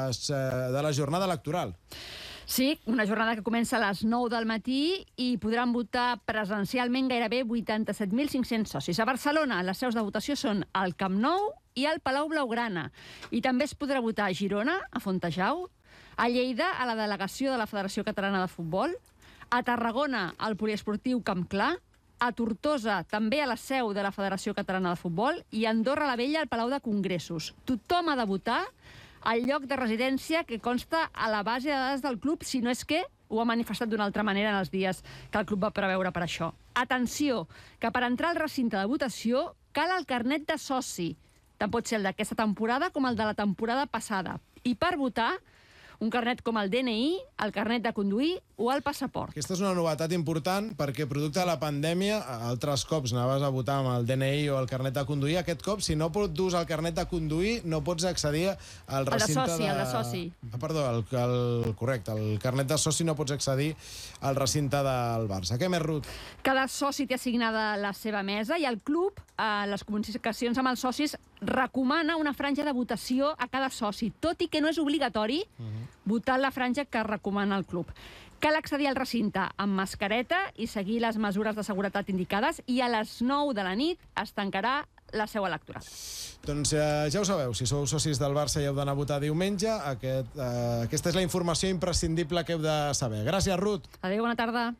de la jornada electoral. Sí, una jornada que comença a les 9 del matí i podran votar presencialment gairebé 87.500 socis. A Barcelona, les seus de votació són al Camp Nou i al Palau Blaugrana. I també es podrà votar a Girona, a Fontejau, a Lleida, a la delegació de la Federació Catalana de Futbol, a Tarragona, al poliesportiu Camp Clar, a Tortosa, també a la seu de la Federació Catalana de Futbol, i a Andorra la Vella, al Palau de Congressos. Tothom ha de votar al lloc de residència que consta a la base de dades del club, si no és que ho ha manifestat d'una altra manera en els dies que el club va preveure per això. Atenció, que per entrar al recinte de votació cal el carnet de soci. Tant pot ser el d'aquesta temporada com el de la temporada passada. I per votar, un carnet com el DNI, el carnet de conduir o el passaport. Aquesta és una novetat important perquè, producte de la pandèmia, altres cops anaves a votar amb el DNI o el carnet de conduir. Aquest cop, si no pots dur el carnet de conduir, no pots accedir al recinte el de soci. Perdó, correcte, el carnet de soci no pots accedir al recinte del Barça. Què més, Ruth? Cada soci té assignada la seva mesa i el club, a les comunicacions amb els socis, recomana una franja de votació a cada soci, tot i que no és obligatori votar la franja que recomana el club. Cal accedir al recinte amb mascareta i seguir les mesures de seguretat indicades, i a les 9 de la nit es tancarà la seu electoral. Doncs ja ho sabeu, si sou socis del Barça i heu d'anar a votar diumenge, aquesta és la informació imprescindible que heu de saber. Gràcies, Ruth. Adéu, bona tarda.